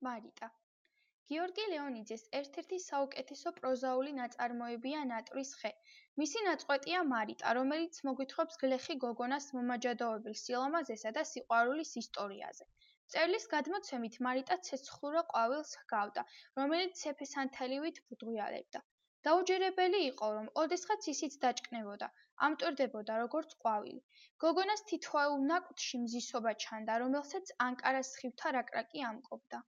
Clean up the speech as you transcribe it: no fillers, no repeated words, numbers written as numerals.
მარიტა. გიორგი ლეონიძეს ერთ-ერთი საუკეთესო პროზაული ნაწარმოებია ნატრის ხე. მისი ნაწყვეტია მარიტა, რომელიც მოგვითხრობს გლეხი გოგონას მომაჯადოებელ სილამაზესა და სიყვარულის ისტორიაზე. მწერლის გადმოცემით, მარიტა ცეცხლურა ყვავილს ჰგავდა, რომელიც ცეფესანთელივით ბრდღიალებდა. დაუჯერებელი იყო, რომ ოდესღაც ისიც დაჭკნებოდა, ამტვერდებოდა როგორც ყვავილი. გოგონას თითოეულ ნაკვთში მზისობა ჩანდა, რომელსაც ანკარას სხივთა რაკრაკი ამკობდა.